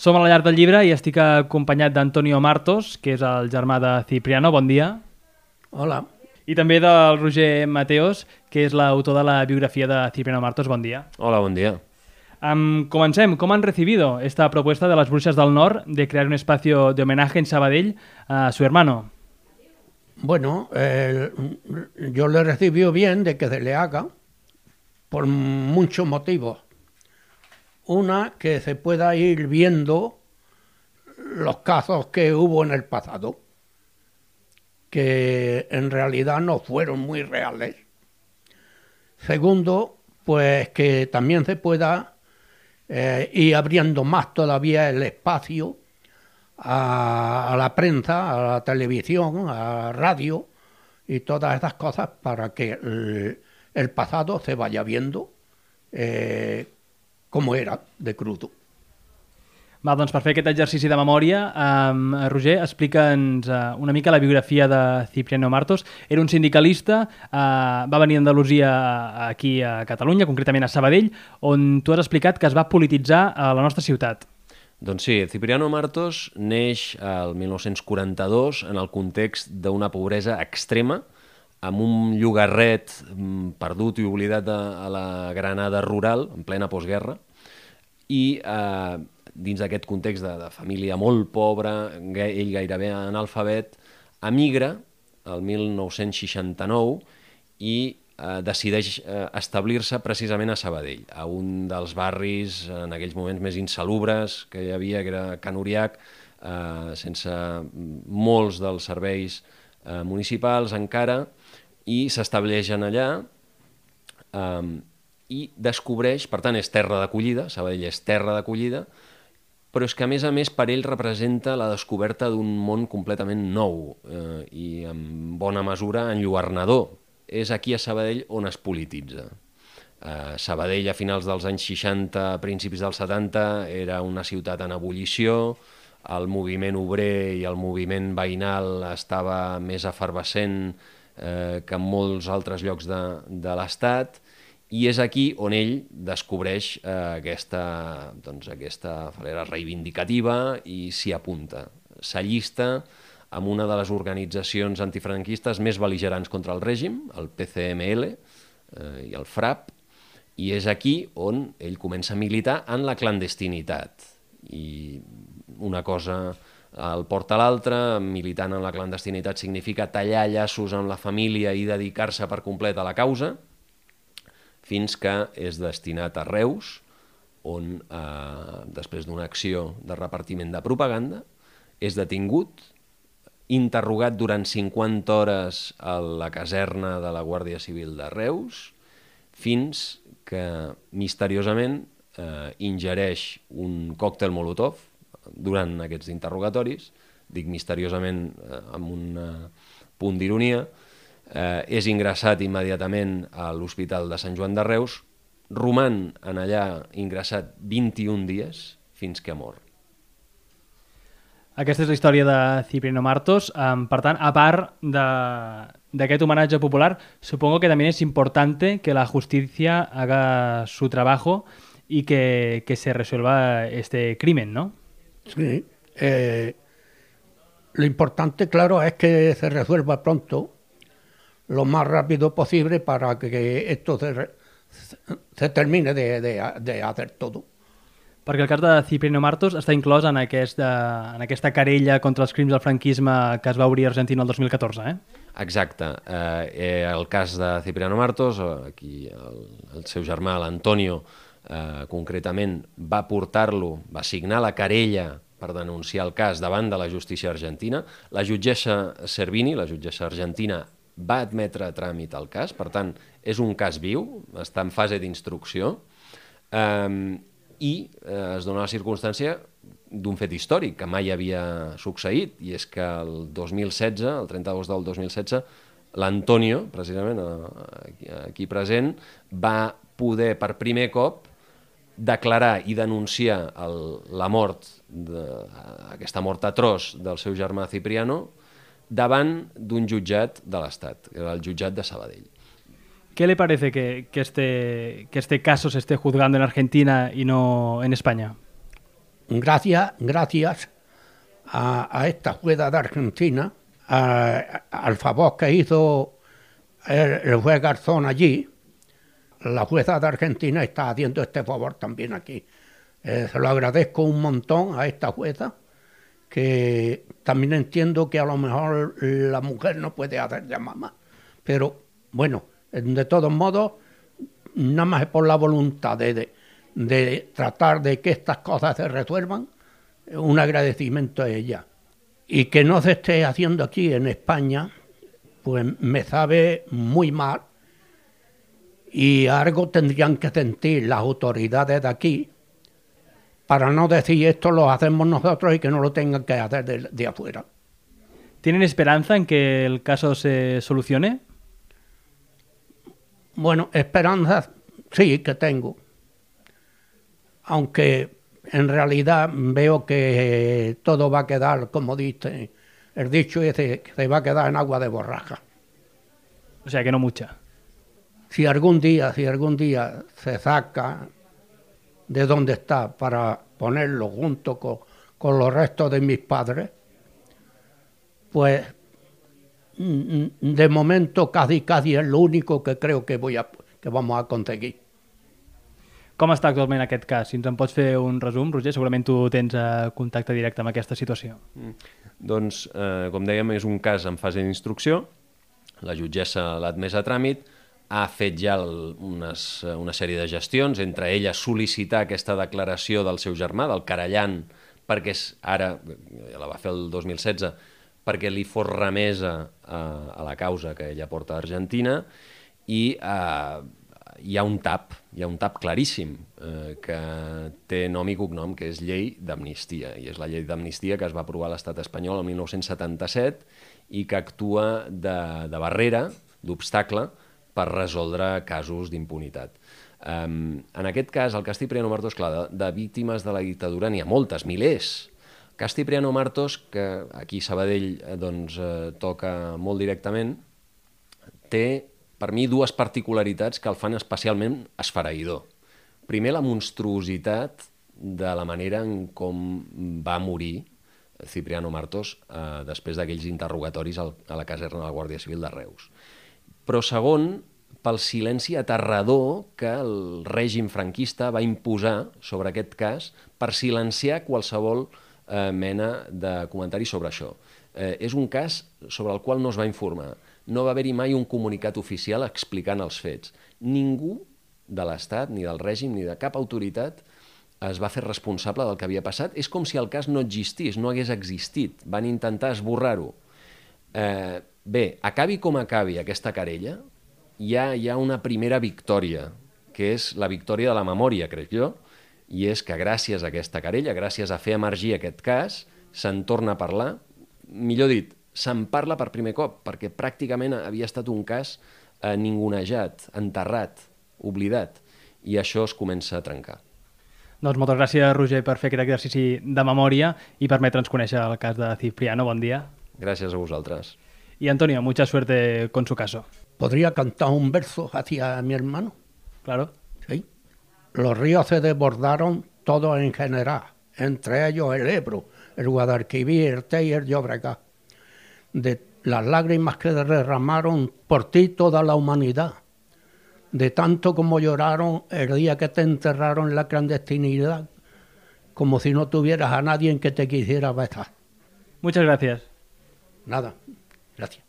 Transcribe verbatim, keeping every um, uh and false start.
Som a la llar del llibre i estic acompanyat d'Antonio Martos, que és el germà de Cipriano. Bon dia. Hola. I també del Roger Mateos, que és l'autor de la biografía de Cipriano Martos. Bon dia. Hola, bon dia. Um, comencem. ¿Cómo han recibido esta propuesta de las Bruixes del Nord de crear un espacio de homenaje en Sabadell a su hermano? Bueno, eh, yo le recibí bien de que se le haga por muchos motivos. Una, que se pueda ir viendo los casos que hubo en el pasado, que en realidad no fueron muy reales. Segundo, pues que también se pueda eh, ir abriendo más todavía el espacio a, a la prensa, a la televisión, a la radio y todas esas cosas para que el, el pasado se vaya viendo eh, com era de crudo. Va, doncs per fer aquest exercici de memòria, um, Roger, explica'ns uh, una mica la biografia de Cipriano Martos. Era un sindicalista, uh, va venir a Andalusia aquí a Catalunya, concretament a Sabadell, on tu has explicat que es va polititzar a la nostra ciutat. Doncs sí, Cipriano Martos neix el mil nou-cents quaranta-dos en el context d'una pobresa extrema, amb un llogarret perdut i oblidat a la Granada rural, en plena postguerra, i eh, dins d'aquest context de, de família molt pobra, ell gairebé analfabet, emigra el mil nou-cents seixanta-nou i eh, decideix eh, establir-se precisament a Sabadell, a un dels barris en aquells moments més insalubres que hi havia, que era Can Uriac, eh, sense molts dels serveis eh, municipals encara, i s'estableixen allà eh, i descobreix, per tant és terra d'acollida, Sabadell és terra d'acollida, però és que a més a més per ell representa la descoberta d'un món completament nou eh, i en bona mesura enlluernador. És aquí a Sabadell on es polititza. Eh, Sabadell a finals dels anys seixanta, principis dels setanta, era una ciutat en ebullició, el moviment obrer i el moviment veïnal estava més efervescent eh, que en molts altres llocs de, de l'Estat, i és aquí on ell descobreix eh, aquesta, doncs, aquesta falera reivindicativa i s'hi apunta. S'allista amb una de les organitzacions antifranquistes més bel·ligerants contra el règim, el P C M L eh, i el FRAP, i és aquí on ell comença a militar en la clandestinitat. I una cosa el porta a l'altra, militant en la clandestinitat significa tallar llaços amb la família i dedicar-se per complet a la causa, fins que és destinat a Reus, on, eh, després d'una acció de repartiment de propaganda, és detingut, interrogat durant cinquanta hores a la caserna de la Guàrdia Civil de Reus, fins que misteriosament eh, ingereix un còctel Molotov durant aquests interrogatoris, dic misteriosament eh, amb un eh, punt d'ironia, eh, és ingressat immediatament a l'Hospital de Sant Joan de Reus, roman en allà ingressat vint-i-un dies fins que mor. Aquesta és la història de Cipriano Martos. Um, per tant, a part d'aquest homenatge popular, supongo que también es importante que la justicia haga su trabajo y que, que se resuelva este crimen, ¿no? Sí. Eh, lo importante, claro, es que se resuelva pronto, lo más rápido posible, para que esto se, se termine de, de, de hacer todo. Perquè el cas de Cipriano Martos està inclòs en aquesta, en aquesta querella contra els crims del franquisme que es va obrir a Argentina el dos mil catorze, eh? Exacte. Eh, el cas de Cipriano Martos, aquí el, el seu germà, l'Antonio, eh, concretament, va portar-lo, va signar la querella per denunciar el cas davant de la justícia argentina. La jutgessa Servini, la jutgessa argentina, va admetre a tràmit el cas, per tant, és un cas viu, està en fase d'instrucció, eh, i eh, es dona la circumstància d'un fet històric que mai havia succeït, i és que el dos mil setze, el trenta d'agost del dos mil setze, l'Antonio, precisament aquí, aquí present, va poder per primer cop declarar i denunciar el, la mort, de, aquesta mort atroç del seu germà Cipriano, davant d'un jutjat de l'Estat, que era el jutjat de Sabadell. ¿Qué le parece que, que, este, que este caso se esté juzgando en Argentina y no en España? gracias, gracias a, a esta jueza de Argentina, a, al favor que hizo el, el juez Garzón allí, la jueza de Argentina está haciendo este favor también aquí. Eh, se lo agradezco un montón a esta jueza, que también entiendo que a lo mejor la mujer no puede hacer de mamá, pero bueno, de todos modos, nada más es por la voluntad de, de, de tratar de que estas cosas se resuelvan, un agradecimiento a ella. Y que no se esté haciendo aquí en España, pues me sabe muy mal, y algo tendrían que sentir las autoridades de aquí para no decir esto lo hacemos nosotros y que no lo tengan que hacer de, de afuera. ¿Tienen esperanza en que el caso se solucione? Bueno, esperanza sí que tengo, aunque en realidad veo que todo va a quedar, como dice el dicho ese, que se va a quedar en agua de borraja. O sea que no mucha. Si algún día, si algún día se saca de donde está para ponerlo junto con, con los restos de mis padres, pues de momento casi casi es lo único que creo que, voy a, que vamos a conseguir. Com està actualment aquest cas? Si ens en pots fer un resum, Roger, segurament tu tens eh, contacte directe amb aquesta situació. Mm. Doncs, eh, com dèiem, és un cas en fase d'instrucció, la jutgessa l'ha admès a tràmit, ha fet ja el, unes, una sèrie de gestions, entre elles sol·licitar aquesta declaració del seu germà, del querellant, perquè és, ara, la va fer el dos mil setze, perquè li fos remesa a, a la causa que ella porta a Argentina, i eh, hi ha un tap, hi ha un tap claríssim, eh, que té nom i cognom, que és llei d'amnistia, i és la llei d'amnistia que es va aprovar a l'estat espanyol el mil nou-cents setanta-set i que actua de, de barrera, d'obstacle, per resoldre casos d'impunitat. Um, en aquest cas, el cas Cipriano Martos, clar, de, de víctimes de la dictadura n'hi ha moltes, milers. El cas Cipriano Martos, que aquí a Sabadell eh, doncs, eh, toca molt directament, té, per mi, dues particularitats que el fan especialment esfereïdor. Primer, la monstruositat de la manera en com va morir Cipriano Martos eh, després d'aquells interrogatoris al, a la caserna de la Guàrdia Civil de Reus. Però segon, pel silenci aterrador que el règim franquista va imposar sobre aquest cas per silenciar qualsevol eh, mena de comentari sobre això. Eh, és un cas sobre el qual no es va informar. No va haver-hi mai un comunicat oficial explicant els fets. Ningú de l'Estat, ni del règim, ni de cap autoritat es va fer responsable del que havia passat. És com si el cas no existís, no hagués existit. Van intentar esborrar-ho. Eh, Bé, acabi com acabi aquesta querella, hi ha, hi ha una primera victòria, que és la victòria de la memòria, crec jo, i és que gràcies a aquesta querella, gràcies a fer emergir aquest cas, se'n torna a parlar, millor dit, se'n parla per primer cop, perquè pràcticament havia estat un cas eh, ningunejat, enterrat, oblidat, i això es comença a trencar. Doncs moltes gràcies, Roger, per fer aquest exercici de memòria i permetre'ns conèixer el cas de Cipriano. Bon dia. Gràcies a vosaltres. Y Antonio, mucha suerte con su caso. ¿Podría cantar un verso hacia mi hermano? Claro. Sí. Los ríos se desbordaron todos en general, entre ellos el Ebro, el Guadalquivir, el Tey y el Llobregat. De las lágrimas que derramaron por ti toda la humanidad, de tanto como lloraron el día que te enterraron en la clandestinidad, como si no tuvieras a nadie en que te quisiera besar. Muchas gracias. Nada. Gracias.